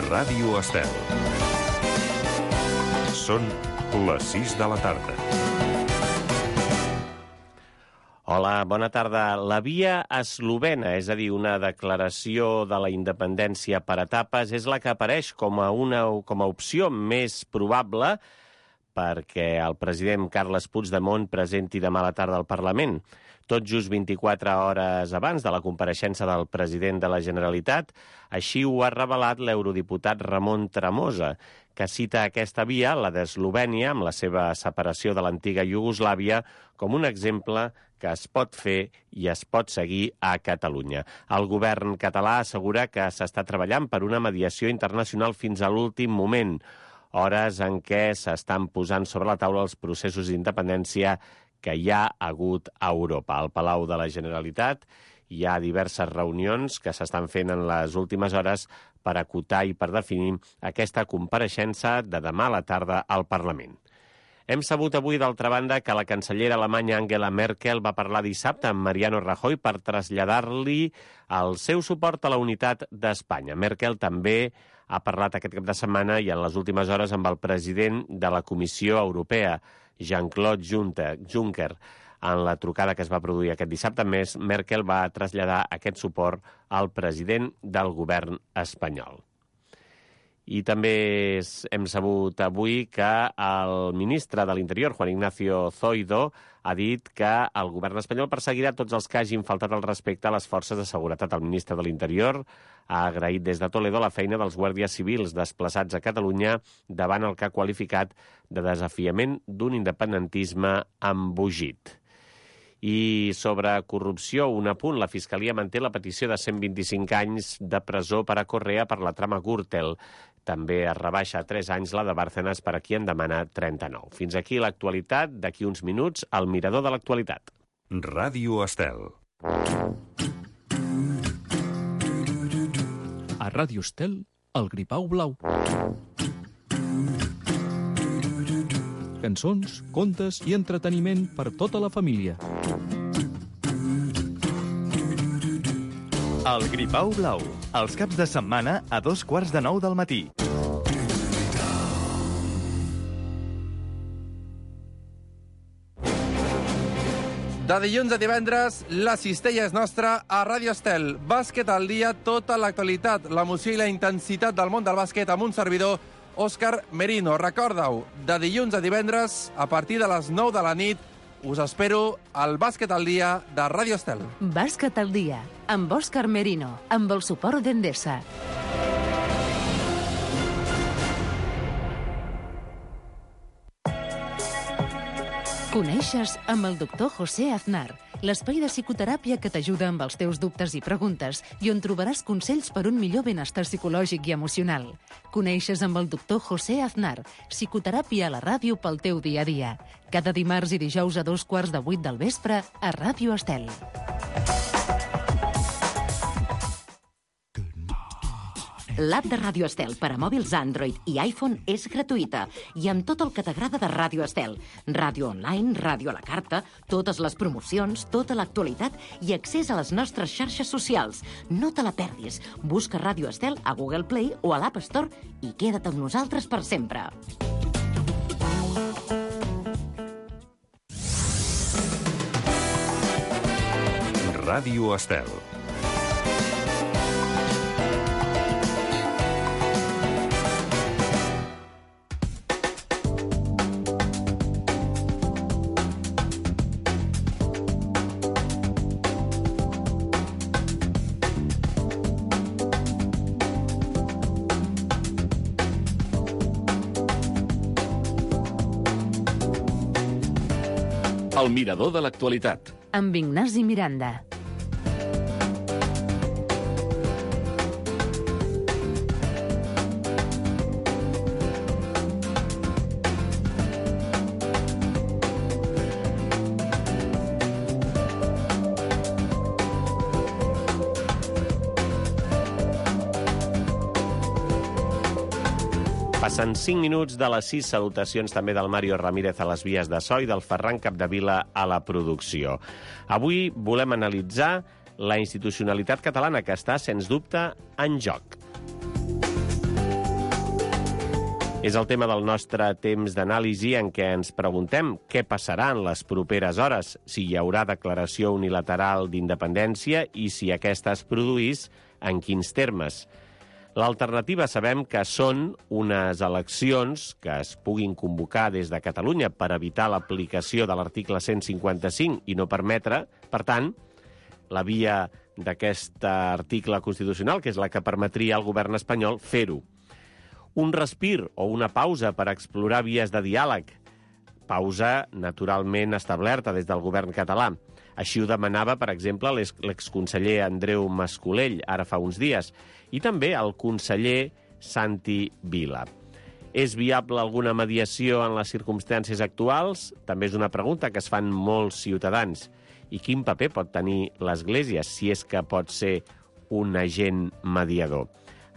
Ràdio Estel. Són les 6 de la tarda. Hola, bona tarda. La via eslovena, és a dir, una declaració de la independència per etapes, és la que apareix com a opció més probable perquè el president Carles Puigdemont presenti demà a la tarda al Parlament. Tot just 24 hores abans de la compareixença del president de la Generalitat, així ho ha revelat l'eurodiputat Ramon Tremosa, que cita aquesta via, la d'Eslovènia, amb la seva separació de l'antiga Iugoslàvia, com un exemple que es pot fer i es pot seguir a Catalunya. El govern català assegura que s'està treballant per una mediació internacional fins a l'últim moment, hores en què s'estan posant sobre la taula els processos d'independència que hi ha hagut a Europa. Al Palau de la Generalitat hi ha diverses reunions que s'estan fent en les últimes hores per acotar i per definir aquesta compareixença de demà a la tarda al Parlament. Hem sabut avui, d'altra banda, que la cancellera alemanya Angela Merkel va parlar dissabte amb Mariano Rajoy per traslladar-li el seu suport a la unitat d'Espanya. Merkel també ha parlat aquest cap de setmana i en les últimes hores amb el president de la Comissió Europea, Jean-Claude Juncker. En la trucada que es va produir aquest dissabte, Merkel va traslladar aquest suport al president del govern espanyol. I també hem sabut avui que el ministre de l'Interior, Juan Ignacio Zoido, ha dit que el govern espanyol perseguirà tots els que hagin faltat al respecte a les forces de seguretat. El ministre de l'Interior ha agraït des de Toledo la feina dels guàrdies civils desplaçats a Catalunya davant el que ha qualificat de desafiament d'un independentisme embogit. I sobre corrupció, un apunt, la Fiscalia manté la petició de 125 anys de presó per a Correa per la trama Gürtel. També es rebaixa a 3 anys la de Bárcenas, per a qui en demana 39. Fins aquí l'actualitat. D'aquí uns minuts, el mirador de l'actualitat. Ràdio Estel. A Ràdio Estel, el Gripau Blau. Cançons, contes i entreteniment per tota la família. El Gripau Blau, els caps de setmana a 8:45 del matí. De dilluns a divendres, la cistella és nostra a Ràdio Estel. Bàsquet al dia, tota l'actualitat, l'emoció i la intensitat del món del bàsquet amb un servidor, Òscar Merino. Recorda-ho, de dilluns a divendres, a partir de les 9 de la nit, us espero al Bàsquet al dia de Ràdio Estel. Bàsquet al dia, amb Òscar Merino, amb el suport d'Endesa. Coneixes amb el doctor José Aznar, l'espai de psicoteràpia que t'ajuda amb els teus dubtes i preguntes i on trobaràs consells per un millor benestar psicològic i emocional. Coneixes amb el doctor José Aznar, psicoteràpia a la ràdio pel teu dia a dia. Cada dimarts i dijous a 7:15 del vespre a Ràdio Estel. L'app de Ràdio Estel per a mòbils Android i iPhone és gratuïta i amb tot el que t'agrada de Ràdio Estel. Ràdio online, ràdio a la carta, totes les promocions, tota l'actualitat i accés a les nostres xarxes socials. No te la perdis. Busca Ràdio Estel a Google Play o a l'App Store i queda't amb nosaltres per sempre. Ràdio Estel. El mirador de l'actualitat. Amb Ignasi Miranda. Passen 5 minuts de les 6. Salutacions també del Mario Ramírez a les vies de so i del Ferran Capdevila a la producció. Avui volem analitzar la institucionalitat catalana, que està, sens dubte, en joc. És el tema del nostre temps d'anàlisi en què ens preguntem què passarà en les properes hores, si hi haurà declaració unilateral d'independència i si aquesta es produís, en quins termes. L'alternativa sabem que són unes eleccions que es puguin convocar des de Catalunya per evitar l'aplicació de l'article 155 i no permetre, per tant, la via d'aquest article constitucional, que és la que permetria al govern espanyol fer-ho. Un respir o una pausa per explorar vies de diàleg. Pausa naturalment establerta des del govern català. Així ho demanava, per exemple, l'exconseller Andreu Mascolell, ara fa uns dies, i també el conseller Santi Vila. És viable alguna mediació en les circumstàncies actuals? També és una pregunta que es fan molts ciutadans. I quin paper pot tenir l'Església, si és que pot ser un agent mediador?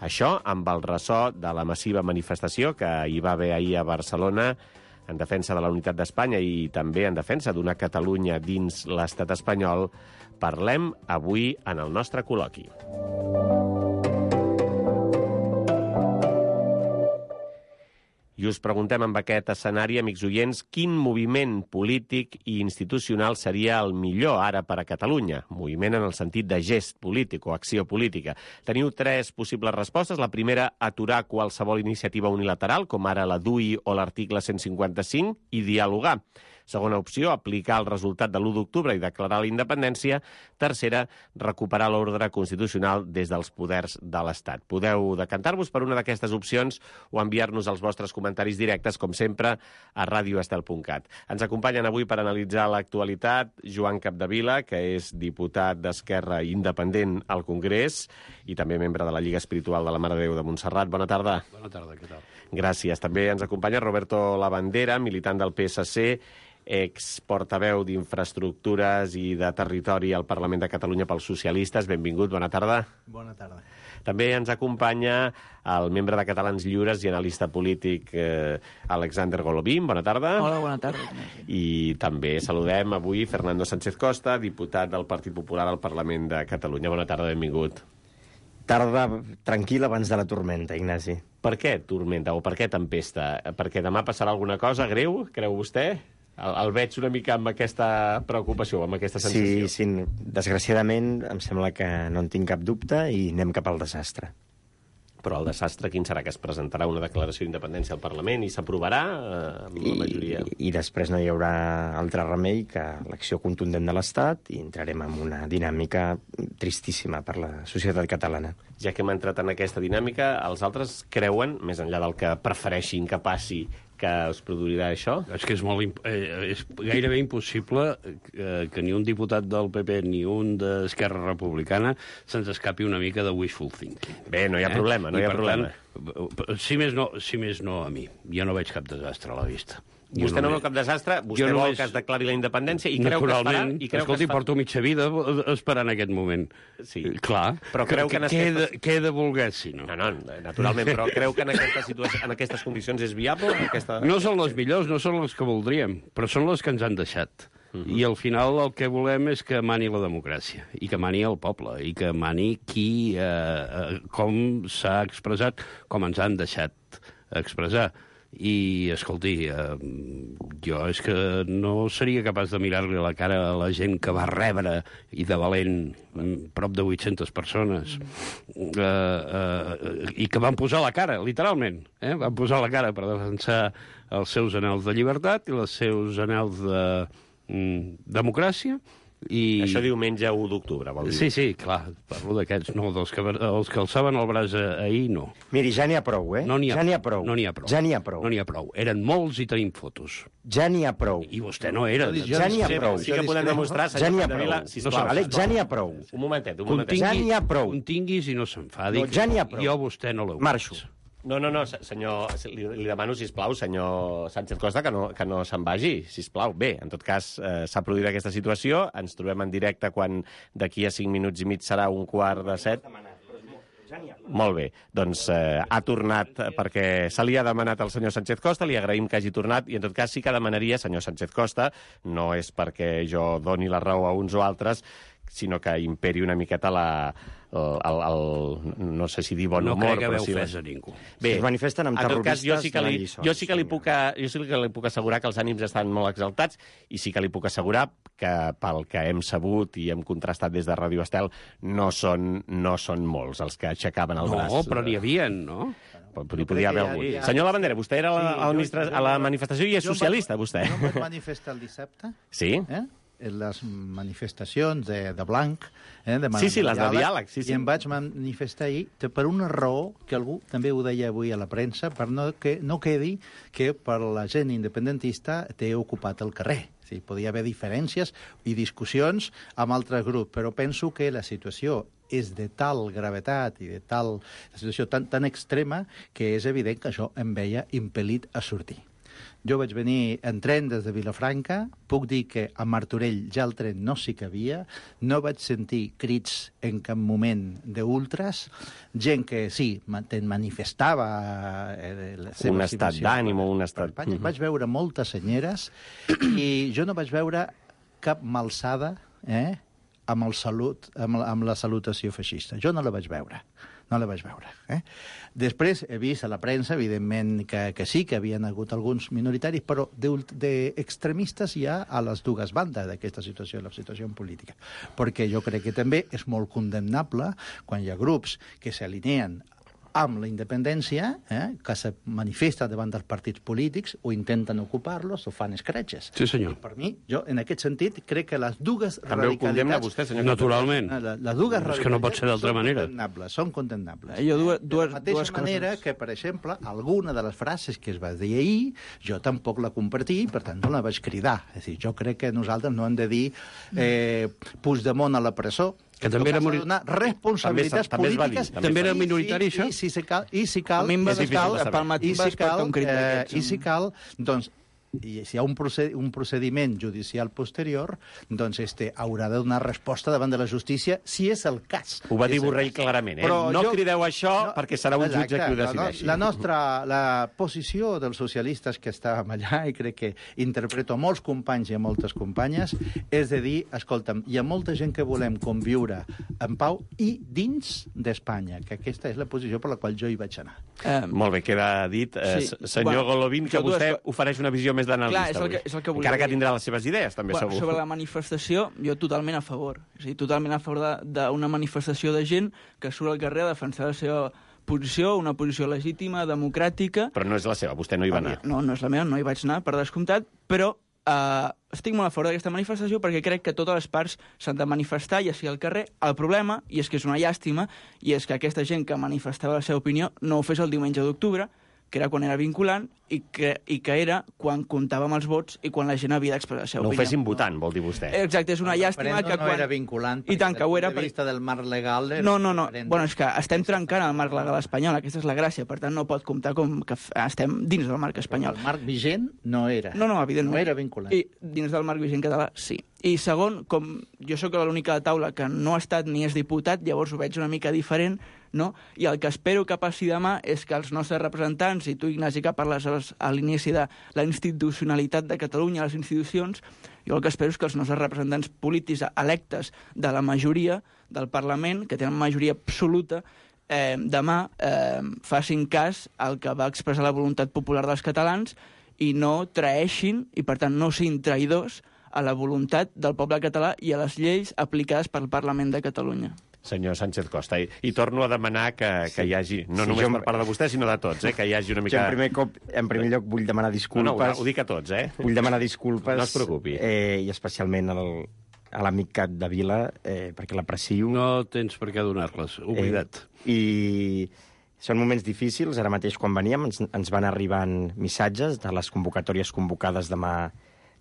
Això amb el ressò de la massiva manifestació que hi va haver ahir a Barcelona en defensa de la unitat d'Espanya i també en defensa d'una Catalunya dins l'estat espanyol. Parlem avui en el nostre col·loqui. I us preguntem amb aquest escenari, amics oients, quin moviment polític i institucional seria el millor ara per a Catalunya? Moviment en el sentit de gest polític o acció política. Teniu 3 possibles respostes. La primera, aturar qualsevol iniciativa unilateral, com ara la DUI o l'article 155, i dialogar. Segona opció, aplicar el resultat de l'1 d'octubre i declarar la independència. Tercera, recuperar l'ordre constitucional des dels poders de l'Estat. Podeu decantar-vos per una d'aquestes opcions o enviar-nos els vostres comentaris directes, com sempre, a radioestel.cat. Ens acompanyen avui per analitzar l'actualitat Joan Capdevila, que és diputat d'Esquerra independent al Congrés i també membre de la Lliga Espiritual de la Mare de Déu de Montserrat. Bona tarda. Bona tarda, què tal? Gràcies. També ens acompanya Roberto Labandera, militant del PSC, exportaveu d'Infraestructures i de Territori al Parlament de Catalunya pels socialistes. Benvingut, bona tarda. Bona tarda. També ens acompanya el membre de Catalans Lliures i analista polític Alexander Golovin. Bona tarda. Hola, bona tarda. I també saludem avui Fernando Sánchez Costa, diputat del Partit Popular al Parlament de Catalunya. Bona tarda, benvingut. Tarda tranquil abans de la tormenta, Ignasi. Per què tormenta o per què tempesta? Perquè demà passarà alguna cosa greu, creu vostè? El veig una mica amb aquesta preocupació, amb aquesta sensació. Sí, desgraciadament em sembla que no en tinc cap dubte i anem cap al desastre. Però el desastre quin serà? Que es presentarà una declaració d'independència al Parlament i s'aprovarà amb la majoria? I després no hi haurà altre remei que l'acció contundent de l'Estat i entrarem en una dinàmica tristíssima per la societat catalana. Ja que hem entrat en aquesta dinàmica, els altres creuen, més enllà del que prefereixin que passi, que es produirà això? És que és gairebé impossible que ni un diputat del PP ni un d'Esquerra Republicana se'ns escapi una mica de wishful thinking. Bé, no hi ha problema, no hi ha problema. Si més no a mi. Jo no veig cap desastre a la vista. Vostè no veu cap desastre, vostè vol que es declari la independència i creu que es farà... Escolti, porto mitja vida esperant aquest moment. Sí. Clar, però creu que què he de voler, si no? No, naturalment, però creu que en aquestes condicions és viable? No són les millors, no són les que voldríem, però són les que ens han deixat. I al final el que volem és que mani la democràcia, i que mani el poble, i que mani com s'ha expressat, com ens han deixat expressar. I, escolti, jo és que no seria capaç de mirar-li a la cara a la gent que va rebre, i de valent, prop de 800 persones, i que van posar la cara, literalment, van posar la cara per defensar els seus anhels de llibertat i els seus anhels de democràcia. Això diumenge 1 d'octubre, vol dir? Sí, clar, parlo d'aquests, no, els que alçaven el braç ahir, no. Miri, ja n'hi ha prou, No n'hi ha prou. Ja n'hi ha prou. Eren molts i tenim fotos. Ja n'hi ha prou. I vostè no era. Ja n'hi ha prou. Sí que podem demostrar, senyor Capdevila, sisplau. Ja n'hi ha prou. Un momentet. Ja n'hi ha prou. Continguis i no s'enfadi. Ja n'hi ha prou. Jo vostè no l'heu. Marxo. No, senyor, li demano, sisplau, senyor Sánchez Costa, que no se'n vagi, sisplau. Bé, en tot cas, s'ha produït aquesta situació, ens trobem en directe quan d'aquí a 5 minuts i mig serà 6:45. Molt bé, doncs ha tornat perquè se li ha demanat al senyor Sánchez Costa, li agraïm que hagi tornat i en tot cas sí que demanaria, senyor Sánchez Costa, no és perquè jo doni la raó a uns o altres, sinó que imperi una miqueta no sé si dir bon No humor, crec però haver sí... ofès a ningú. Bé, Si es manifesten amb en tot cas, jo terroristes, sí que li puc assegurar que els ànims estan molt exaltats i sí que li puc assegurar que pel que hem sabut i hem contrastat des de Ràdio Estel no són molts els que aixecaven el braç. No, però n'hi havia, no? Hi podia haver algun. Senyor Lavandera, vostè era a la manifestació i és socialista, vostè. Jo em vaig manifestar el dissabte. Sí? En les manifestacions de blanc, de Sí, les de diàleg. Sí. I em vaig manifestar ahir per una raó que algú també ho deia avui a la premsa, per que no quedi que per la gent independentista té ocupat el carrer. Sí, podia haver diferències i discussions amb altres grups, però penso que la situació és de tal gravetat i de tal situació tan extrema que és evident que això em veia impel·lit a sortir. Jo vaig venir en tren des de Vilafranca, puc dir que a Martorell ja el tren no s'hi cabia, no vaig sentir crits en cap moment d'ultras, gent que sí, manifestava la seva un estat d'ànim o un estat... Vaig veure moltes senyeres i jo no vaig veure cap malsada amb la salutació feixista. Jo no la vaig veure. Després he vist a la premsa, evidentment, que sí, que havien hagut alguns minoritaris, però d'extremistes hi ha a les dues bandes d'aquesta situació, la situació política. Perquè jo crec que també és molt condemnable quan hi ha grups que s'alineen amb la independència, que se manifesta davant dels partits polítics o intenten ocupar-los o fan escratxes. Sí, senyor. I per mi, jo, en aquest sentit, crec que les dues També ho condemna vostè, senyor? Naturalment. Les dues És que no pot ser d'altra manera. Són condemnables. De la mateixa manera que, per exemple, alguna de les frases que es va dir ahir, jo tampoc la compartí, per tant no la vaig cridar. És a dir, jo crec que nosaltres no hem de dir Puigdemont a la presó, que també era responsabilitats polítiques. També era minoritari, això? I si cal, doncs, i si hi ha un procediment judicial posterior, doncs haurà de donar resposta davant de la justícia, si és el cas. Ho va dir Borrell clarament, No crideu això perquè serà un jutge qui ho decideixi. La posició dels socialistes que estàvem allà, i crec que interpreto a molts companys i a moltes companyes, és de dir, escolta'm, hi ha molta gent que volem conviure en pau i dins d'Espanya, que aquesta és la posició per la qual jo hi vaig anar. Molt bé, queda dit. Senyor Golovin, que vostè ofereix una visió més d'analista avui. Encara que tindrà les seves idees, també, segur. Sobre la manifestació, jo totalment a favor. És a dir, totalment a favor d'una manifestació de gent que surt al carrer a defensar la seva posició, una posició legítima, democràtica. Però no és la seva, vostè no hi va anar. No és la meva, no hi vaig anar, per descomptat, però estic molt a favor d'aquesta manifestació perquè crec que totes les parts s'han de manifestar, ja sigui al carrer. El problema, i és que és una llàstima, i és que aquesta gent que manifestava la seva opinió no ho fes el diumenge d'octubre, que era quan era vinculant, i que era quan comptàvem els vots i quan la gent havia d'expressar la seva opinió. No ho fessin votant, vol dir vostè. Exacte, és una llàstima que quan... no era vinculant, I tant que ho era... des del punt de vista del marc legal... No. Bueno, és que estem trencant el marc legal espanyol, aquesta és la gràcia, per tant no pot comptar com que estem dins del marc espanyol. El marc vigent no era. No, evidentment. No era vinculant. I dins del marc vigent català, sí. I segon, com jo sóc l'única de taula que no ha estat ni és diputat, llavors ho veig una mica diferent, no? I el que espero que passi demà és que els nostres representants, i tu, Ignasi, que parles a l'inici de la institucionalitat de Catalunya, les institucions, jo el que espero és que els nostres representants polítics electes de la majoria del Parlament, que tenen majoria absoluta, demà facin cas al que va expressar la voluntat popular dels catalans i no traeixin, i per tant no siguin traïdors a la voluntat del poble català i a les lleis aplicades pel Parlament de Catalunya. Senyor Sánchez Costa, i torno a demanar que hi hagi, no només per part de vostè, sinó de tots, que hi hagi una mica... En primer lloc, vull demanar disculpes. No, ho dic a tots, Vull demanar disculpes. No es preocupi. I especialment a l'amic Cat de Vila, perquè l'aprecio. No tens per què donar-les, oblidat. I són moments difícils. Ara mateix, quan veníem, ens van arribant missatges de les convocatòries convocades demà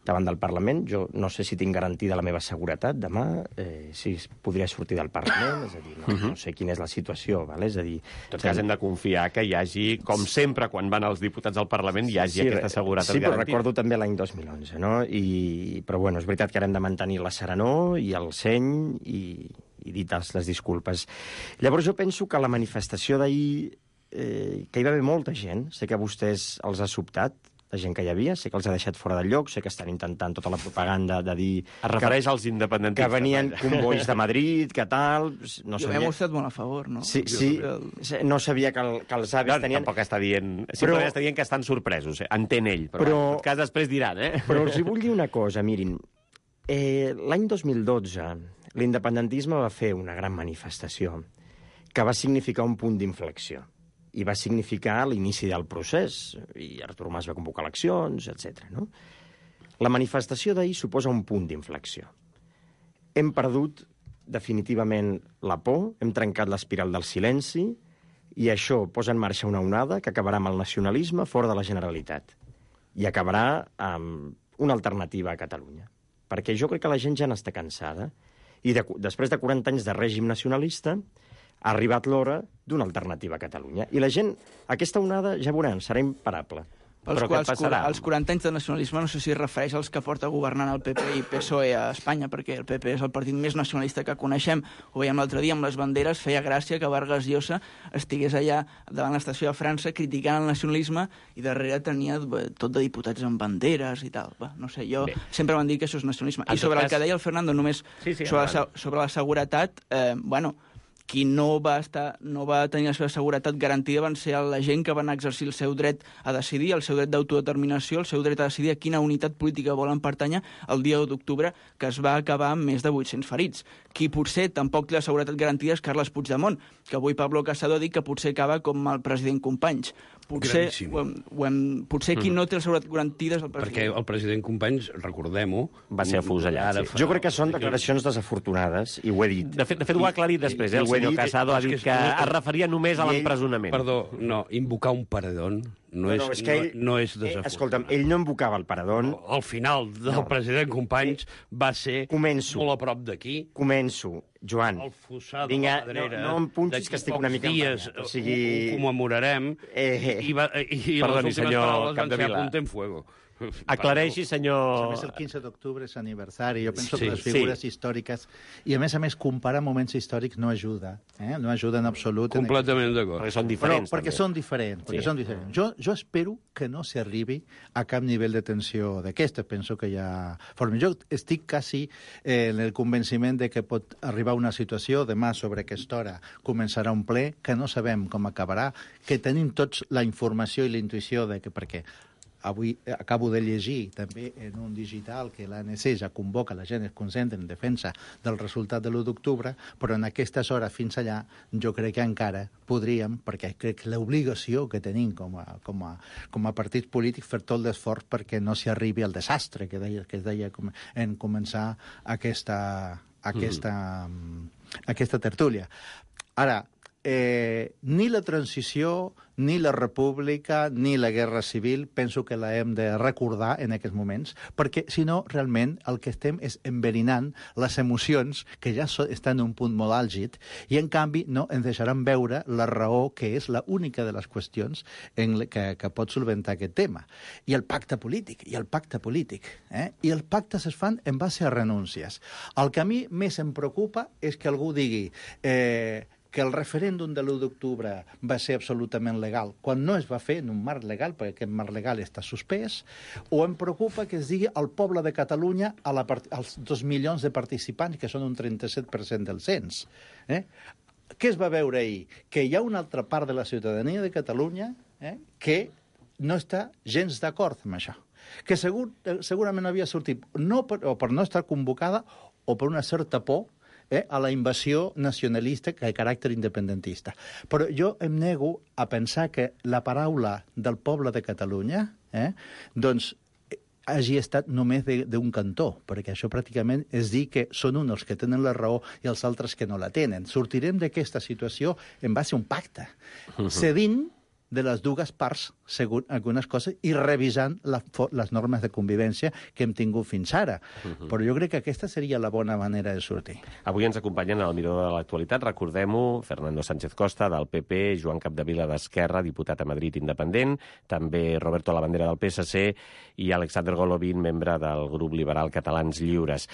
davant del Parlament. Jo no sé si tinc garantida la meva seguretat demà, si podria sortir del Parlament, és a dir, no sé quina és la situació, ¿vale? És a dir... En tot cas, hem de confiar que hi hagi, com sempre, quan van els diputats al Parlament, hi hagi aquesta seguretat garantida. Sí, però garantida. recordo també l'any 2011, no? Però, bueno, és veritat que ara hem de mantenir la serenor i el seny i dites les disculpes. Llavors, jo penso que la manifestació d'ahir, que hi va haver molta gent, sé que a vostès els ha sobtat, de gent que hi havia, sé que els ha deixat fora del lloc, sé que estan intentant tota la propaganda de dir... Es refereix als independentistes. Que venien convois de Madrid, que tal... No jo m'he mostrat molt a favor, no? Sí, no sabia que els avis tenien... Tampoc està dient... Simplement està dient que estan sorpresos, entén ell, però en tot cas després diran, Però els hi vull dir una cosa, mirin, l'any 2012 l'independentisme va fer una gran manifestació que va significar un punt d'inflexió i va significar l'inici del procés, i Artur Mas va convocar eleccions, etc. No? La manifestació d'ahir suposa un punt d'inflexió. Hem perdut definitivament la por, hem trencat l'espiral del silenci, i això posa en marxa una onada que acabarà amb el nacionalisme fora de la Generalitat i acabarà amb una alternativa a Catalunya. Perquè jo crec que la gent ja n'està cansada, i després de 40 anys de règim nacionalista ha arribat l'hora d'una alternativa a Catalunya. I la gent, aquesta onada, ja veuran, serà imparable. Però què passarà? Els 40 anys de nacionalisme no sé si es refereix als que porta governant el PP i PSOE a Espanya, perquè el PP és el partit més nacionalista que coneixem. Ho veiem l'altre dia amb les banderes, feia gràcia que Vargas Llosa estigués allà davant l'estació de França criticant el nacionalisme i darrere tenia tot de diputats amb banderes i tal. No sé, jo sempre m'han dit que això és nacionalisme. I sobre el que deia el Fernando, només sobre la seguretat, qui no va tenir la seva seguretat garantida van ser la gent que van exercir el seu dret a decidir, el seu dret d'autodeterminació, el seu dret a decidir a quina unitat política volen pertànyer el dia 1 d'octubre, que es va acabar amb més de 800 ferits. Qui potser tampoc té la seguretat garantida és Carles Puigdemont, que avui Pablo Casado ha dit que potser acaba com el president Companys. Potser qui no té la seguretat garantida és el president. Perquè el president Companys, recordem-ho, va ser afusellat. Jo crec que són declaracions desafortunades, i ho he dit. De fet ho ha aclarit després, el senyor Casado ha dit que es referia només a l'empresonament. Perdó, no, invocar un paredón no és desafortunat. Escolta'm, ell no invocava el paredón. Al final del president Companys va ser molt a prop d'aquí. Començo, Joan. El fossar de la Pedrera. No em punxis, que estic una mica emprenyat. Ho commemorarem i les últimes paraules van ser a punta en fuego. Aclareixi, senyor... A més, el 15 d'octubre és aniversari. Jo penso que les figures històriques... I, a més, comparar moments històrics no ajuda. No ajuda en absolut. Completament d'acord. Perquè són diferents, també. Perquè són diferents. Jo espero que no s'arribi a cap nivell de tensió d'aquesta. Penso que hi ha... Jo estic quasi en el convenciment de que pot arribar una situació, demà sobre aquesta hora començarà un ple, que no sabem com acabarà, que tenim tots la informació i la intuïció de que perquè avui acabo de llegir també en un digital que l'ANC ja convoca, la gent es concentra en defensa del resultat de l'1 d'octubre, però en aquestes hores fins allà jo crec que encara podríem, perquè crec que l'obligació que tenim com a partit polític fer tot l'esforç perquè no s'hi arribi al desastre que es deia en començar aquesta tertúlia. Ara, ni la transició, ni la república, ni la guerra civil, penso que la hem de recordar en aquests moments, perquè, si no, realment el que estem és enverinant les emocions que ja estan en un punt molt àlgid i, en canvi, no ens deixaran veure la raó que és l'única de les qüestions que pot solventar aquest tema. I el pacte polític. I els pactes es fan en base a renúncies. El que a mi més em preocupa és que algú digui que el referèndum de l'1 d'octubre va ser absolutament legal, quan no es va fer en un marc legal, perquè aquest marc legal està suspès, o em preocupa que es digui al poble de Catalunya als 2 milions de participants, que són un 37% del cens. Què es va veure ahir? Que hi ha una altra part de la ciutadania de Catalunya que no està gens d'acord amb això, que segurament havia sortit o per no estar convocada o per una certa por a la invasió nacionalista que de caràcter independentista. Però jo em nego a pensar que la paraula del poble de Catalunya doncs hagi estat només d'un cantó, perquè això pràcticament és dir que són uns els que tenen la raó i els altres que no la tenen. Sortirem d'aquesta situació en base a un pacte, cedint de les dues parts, segons algunes coses, i revisant les normes de convivència que hem tingut fins ara. Però jo crec que aquesta seria la bona manera de sortir. Avui ens acompanyen al Miró de l'Actualitat, recordem-ho, Fernando Sánchez Costa, del PP, Joan Capdevila, d'Esquerra, diputat a Madrid independent, també Roberto Labandera, del PSC, i Alexander Golovin, membre del grup liberal Catalans Lliures.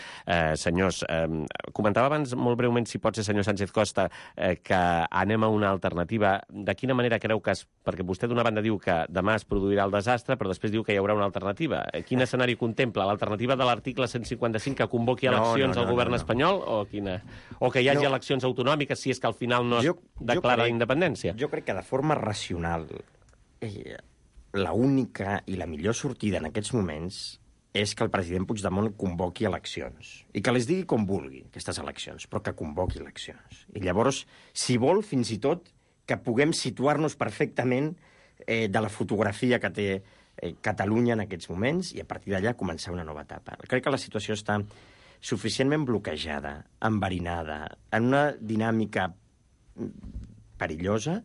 Senyors, comentava abans molt breument, si pot ser, senyor Sánchez Costa, que anem a una alternativa. De quina manera creu que es perquè vostè d'una banda diu que demà es produirà el desastre, però després diu que hi haurà una alternativa. Quin escenari contempla? L'alternativa de l'article 155 que convoqui eleccions al govern espanyol o quina? O que hi hagi eleccions autonòmiques si és que al final no es declara la independència? Jo crec que de forma racional l'única i la millor sortida en aquests moments és que el president Puigdemont convoqui eleccions. I que les digui com vulgui, aquestes eleccions, però que convoqui eleccions. I llavors, si vol, fins i tot, que puguem situar-nos perfectament de la fotografia que té Catalunya en aquests moments i a partir d'allà començar una nova etapa. Crec que la situació està suficientment bloquejada, enverinada, en una dinàmica perillosa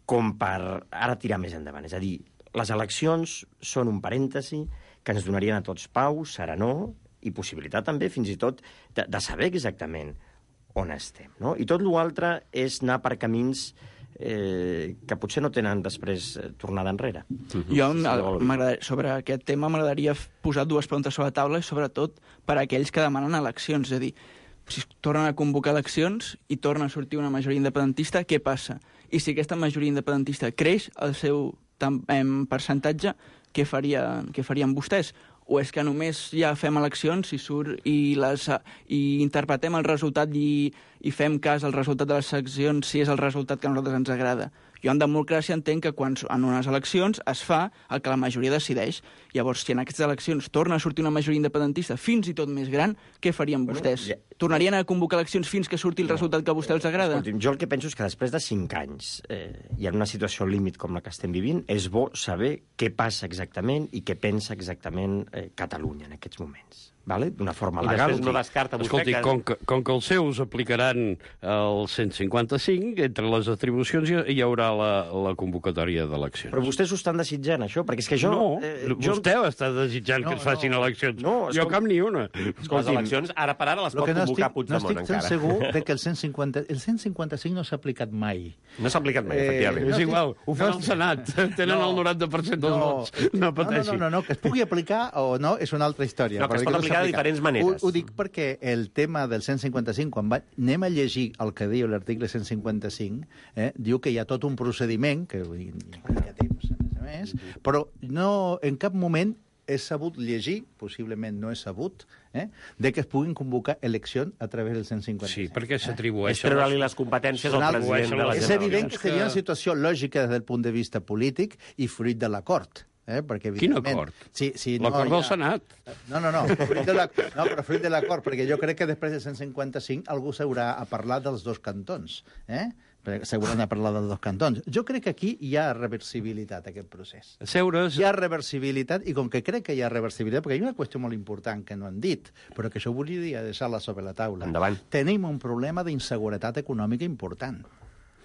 com per ara tirar més endavant. És a dir, les eleccions són un parèntesi que ens donarien a tots pau, serenor i possibilitat també, fins i tot, de saber exactament on estem. No? I tot l'altre és anar per camins que potser no tenen després tornada enrere. Jo, sobre aquest tema, m'agradaria posar dues preguntes sobre la taula i sobretot per a aquells que demanen eleccions. És a dir, si tornen a convocar eleccions i torna a sortir una majoria independentista, què passa? I si aquesta majoria independentista creix el seu percentatge, què farien vostès? O és que només ja fem eleccions i interpretem el resultat i fem cas al resultat de les eleccions si és el resultat que a nosaltres ens agrada? Jo en democràcia entenc que quan en unes eleccions es fa el que la majoria decideix. Llavors, si en aquestes eleccions torna a sortir una majoria independentista fins i tot més gran, què farien vostès? Tornarien a convocar eleccions fins que surti el resultat que a vostès els agrada? Escolti'm, jo el que penso és que després de 5 anys i en una situació límit com la que estem vivint, és bo saber què passa exactament i què pensa exactament Catalunya en aquests moments. Vale? D'una forma legal. I després no descarta vostè que... Com que els seus aplicaran el 155, entre les atribucions hi haurà la convocatòria d'eleccions. Però vostès ho estan desitjant, això? Perquè és que jo... Vostè està desitjant que es facin eleccions. Jo cap ni una. Les eleccions, ara per ara, les pot convocar Puigdemont, encara. No estic segur que el 155 no s'ha aplicat mai. No s'ha aplicat mai, efectivament. És igual, ho fa el Senat. Tenen el 90% dels vots. No pateixi. No, que es pugui aplicar o no és una altra història. No, que es pot aplicar de diferents maneres. Ho dic perquè el tema del 155, quan anem a llegir el que diu l'article 155, diu que hi ha tot un procediment, que implica temps, a més, però no, en cap moment és sabut llegir, possiblement no és sabut, de que es puguin convocar eleccions a través del 155. Sí, perquè s'atribueixen... És treure-li les competències al president de la Generalitat. És evident que seria una situació lògica des del punt de vista polític i fruit de l'acord. Perquè, quin acord? L'acord del Senat? No, però fruit de l'acord, perquè jo crec que després del 155 algú s'haurà a parlar dels dos cantons. S'hauran a parlar dels dos cantons. Jo crec que aquí hi ha reversibilitat, aquest procés. Hi ha reversibilitat, i com que crec que hi ha reversibilitat, perquè hi ha una qüestió molt important que no han dit, però que això volia deixar-la sobre la taula. Endavant. Tenim un problema d'inseguretat econòmica important.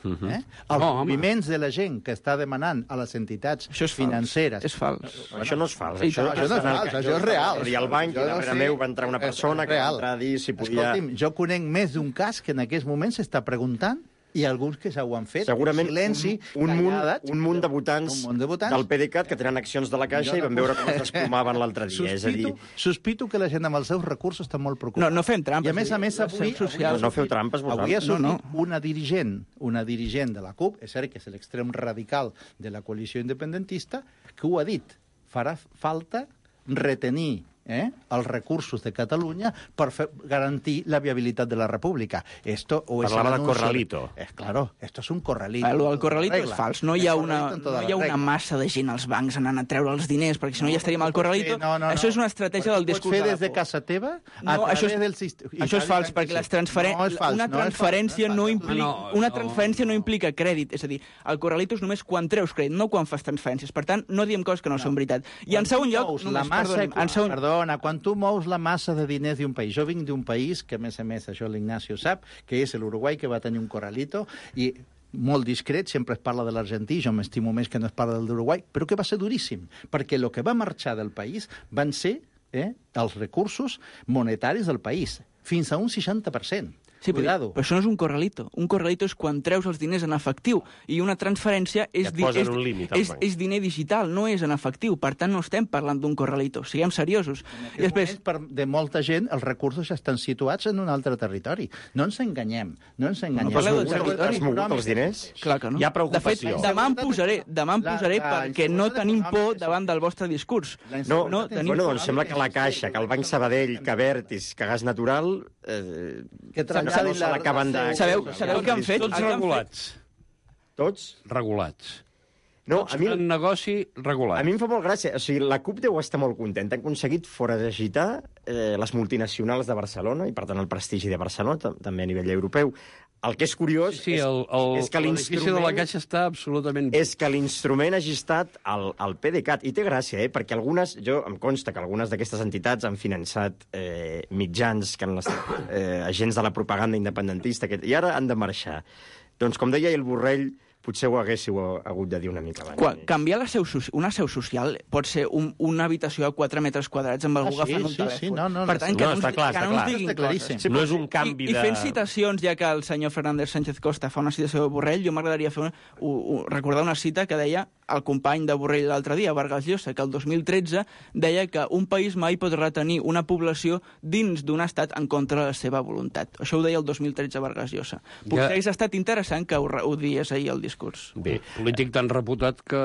Els moviments de la gent que està demanant a les entitats financeres... És fals. Això no és fals. Això no és fals, això és real. I al banc, darrere meu, va entrar una persona que va entrar a dir si podia... Escolti'm, jo conec més d'un cas que en aquests moments s'està preguntant i alguns que s'ho han fet, segurament silenci, un munt de votants del PDeCAT que tenen accions de la Caixa i van veure com es desplomaven l'altre dia. Sospito que la gent amb els seus recursos està molt preocupada. No fem trampes. I a més, avui... No feu trampes, vosaltres. Avui ha sortit una dirigent de la CUP, és cert que és l'extrem radical de la coalició independentista, que ho ha dit. Farà falta retenir els recursos de Catalunya per garantir la viabilitat de la República. Parlava de corralito. Claro, esto es un corralito. El corralito és fals. No hi ha una massa de gent als bancs anant a treure els diners, perquè si no ja estaríem al corralito. Això és una estratègia del discurs de la por. Pots fer des de casa teva a través del sistema. Això és fals, perquè una transferència no implica crèdit. És a dir, el corralito és només quan treus crèdit, no quan fas transferències. Per tant, no diem coses que no són veritat. I en segon lloc... Quan tu mous la massa de diners d'un país, jo vinc d'un país que, a més, això l'Ignacio sap, que és l'Uruguai, que va tenir un corralito, i molt discret, sempre es parla de l'argentí, jo m'estimo més que no es parla del d'Uruguai, però que va ser duríssim, perquè el que va marxar del país van ser els recursos monetaris del país, fins a un 60%. Sí, Cuidado. però això no és un corralito. Un corralito és quan treus els diners en efectiu i una transferència és, et posen un límit, és diner digital, no és en efectiu. Per tant, no estem parlant d'un corralito. Siguem seriosos. I després, de molta gent, els recursos estan situats en un altre territori. No ens enganyem. No parleu de territori. Has mogut els diners? Clar que no. Hi ha preocupació. De fet, demà em posaré perquè no tenim por davant del vostre discurs. No, doncs sembla que la Caixa, que el Banc Sabadell, que Abertis, que Gas Natural... no se l'acaben de... Sabeu què han fet? Tots regulats. Tots? Regulats. No, a mi... Un negoci regulat. A mi em fa molt gràcia. O sigui, la CUP deu estar molt contenta. Han aconseguit foragitar les multinacionals de Barcelona i, per tant, el prestigi de Barcelona, també a nivell europeu. El que és curiós és que l'edifici de la Caixa està absolutament... És que l'instrument hagi estat el PDeCAT. I té gràcia, perquè em consta que algunes d'aquestes entitats han finançat mitjans que han estat agents de la propaganda independentista i ara han de marxar. Doncs, com deia el Borrell, potser ho haguéssiu hagut de dir una mica abans. Canviar una seu social pot ser una habitació a 4 metres quadrats amb algú agafant un telèfon. Per tant, que no ens diguin coses. No és un canvi de... I fent citacions, ja que el senyor Fernández Sánchez Costa fa una citació de Borrell, jo m'agradaria recordar una cita que deia el company de Borrell l'altre dia, Vargas Llosa, que el 2013 deia que un país mai pot retenir una població dins d'un estat en contra de la seva voluntat. Això ho deia el 2013 Vargas Llosa. Potser hauria estat interessant que ho dies ahir al discurs. Bé, polític tan reputat que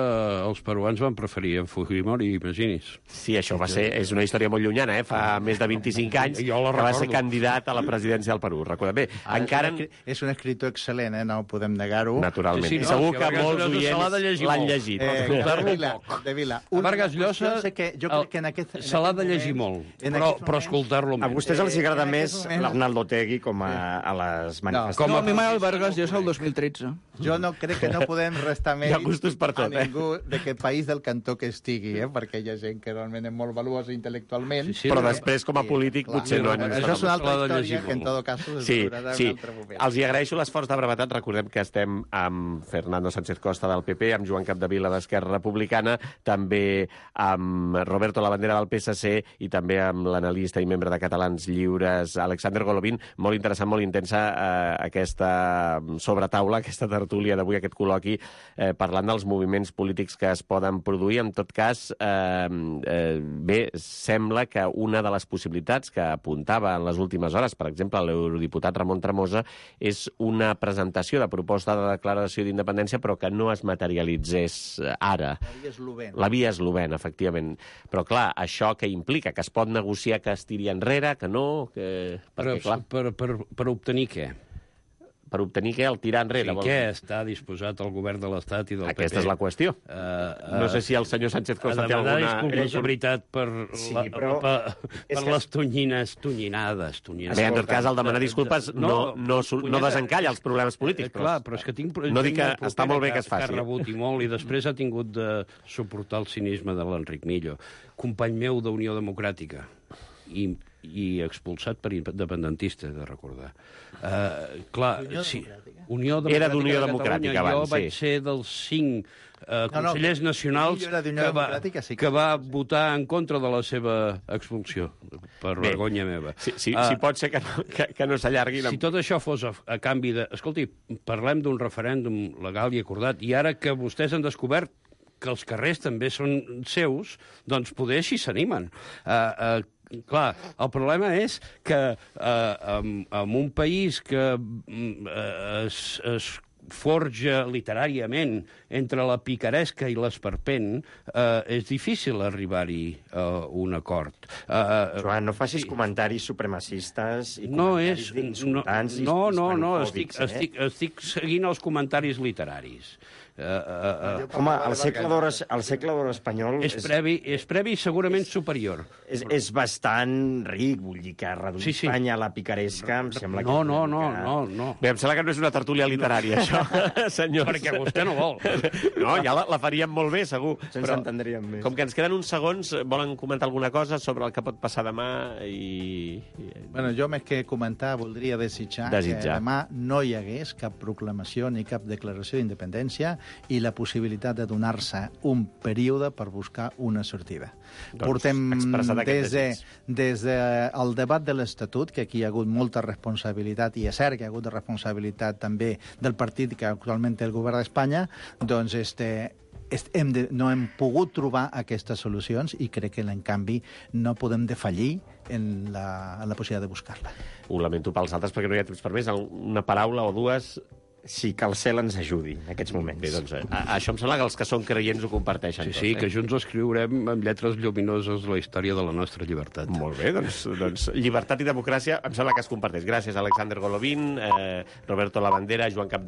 els peruans van preferir en Fujimori, imaginis. Sí, això és una història molt llunyana, fa més de 25 anys que va ser candidat a la presidència del Perú. Recorda bé, encara... És un escriptor excel·lent, no podem negar-ho. Naturalment. I segur que molts oients l'han llegit. De Vila. Vargas Llosa se l'ha de llegir molt, però escoltar-lo més. A vostès els agrada més l'Arnaldo Otegi com a les manifestacions. No, a mi m'agrada el Vargas Llosa el 2013. Jo no crec que no podem restar mèrits a ningú d'aquest país del cantó que estigui, perquè hi ha gent que realment és molt valuosa intel·lectualment. Però després, com a polític, potser no. Això és una altra història que, en tot cas, sí. Els hi agraeixo l'esforç de brevetat. Recordem que estem amb Fernando Sánchez Costa del PP, amb Joan Capdevila d'Esquerra Republicana, també amb Roberto Labandera del PSC i també amb l'analista i membre de Catalans Lliures, Alexander Golovin. Molt interessant, molt intensa aquesta sobretaula, aquesta tertúlia d'avui, aquest col·loqui, parlant dels moviments polítics que es poden produir. En tot cas, bé, sembla que una de les possibilitats que apuntava en les últimes hores, per exemple, l'eurodiputat Ramon Tremosa, és una presentació de proposta de declaració d'independència, però que no es materialitzés ara. La via eslovena, efectivament. Però, clar, això que implica? Que es pot negociar que es tiri enrere, que no? Per obtenir què? Per obtenir què? El tirar enrere. Sí, què està disposat el govern de l'Estat i del PP? Aquesta és la qüestió. No sé si el senyor Sánchez Costa té alguna... A demanar disculpes, de veritat, per les tonyinades. Bé, en tot cas, el demanar disculpes no desencalla els problemes polítics. Clar, però és que tinc... No dic que està molt bé que es faci. Que ha rebut i molt, i després ha tingut de suportar el cinisme de l'Enric Millo, company meu d'Unió Democràtica, i expulsat per independentista, he de recordar. Clar, sí, era d'Unió Democràtica abans, jo vaig ser dels 5 consellers nacionals que va votar en contra de la seva expulsió, per vergonya meva. Si pot ser que no s'allargui... Si tot això fos a canvi de... Escolti, parlem d'un referèndum legal i acordat, i ara que vostès han descobert que els carrers també són seus, doncs poder així s'animen. Clar, el problema és que en un país que es forja literàriament entre la picaresca i l'esperpent, és difícil arribar-hi a un acord. Joan, no facis comentaris supremacistes i comentaris insultants i islamofòbics. Estic seguint els comentaris literaris. Home, el segle d'or espanyol... És previ i segurament superior. És bastant ric, vull dir que reduir Espanya a la picaresca em sembla que... No. Bé, em sembla que no és una tertúlia literària, això, senyors. Perquè vostè no vol. No, ja la faríem molt bé, segur. Ens entendríem més. Com que ens queden uns segons, volen comentar alguna cosa sobre el que pot passar demà Bueno, jo més que comentar voldria desitjar que demà no hi hagués cap proclamació ni cap declaració d'independència i la possibilitat de donar-se un període per buscar una sortida. Doncs, Portem expressat aquest des del debat de l'Estatut, que aquí hi ha hagut molta responsabilitat, i és cert que hi ha hagut responsabilitat també del partit que actualment té el govern d'Espanya, doncs no hem pogut trobar aquestes solucions i crec que, en canvi, no podem defallir en la possibilitat de buscar-la. Ho lamento pels altres perquè no hi ha temps per més. Una paraula o dues... Sí, que el cel ens ajudi en aquests moments. Bé, doncs, això em sembla que els que són creients ho comparteixen. Sí, que junts escriurem amb lletres lluminoses la història de la nostra llibertat. Molt bé, doncs llibertat i democràcia em sembla que es comparteix. Gràcies, Alexander Golovin, Roberto Labandera, Joan Capdevila,